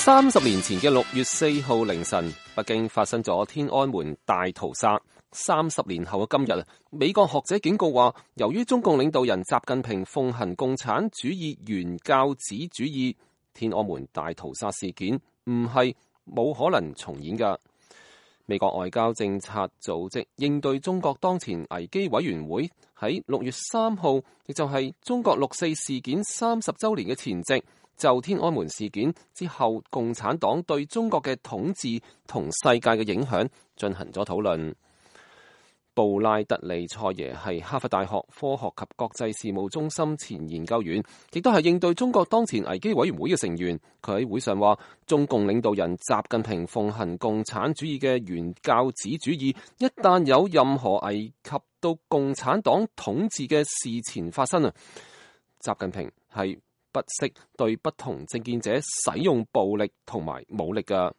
30年前嘅6月4號凌晨，北京發生咗天安門大屠殺。30年後嘅今日，美國學者警告話，由於中共領導人習近平奉行共產主義原教旨主義，天安門大屠殺事件唔係冇可能重演㗎。美國外交政策組織應對中國當前危機委員會喺6月3號，亦就係中國6·4事件30週年嘅前夕，就天安門事件之後共產黨對中國嘅統治同世界嘅影響進行咗討論。布拉德利塞耶係哈佛大學科學及國際事務中心前研究員，亦都係應對中國當前危機委員會嘅成員。佢喺會上話，中共領導人習近平奉行共產主義嘅原教旨主義，一旦有任何危及到共產黨統治嘅事前發生啊，習近平係不惜對不同政見者使用暴力同埋武力㗎。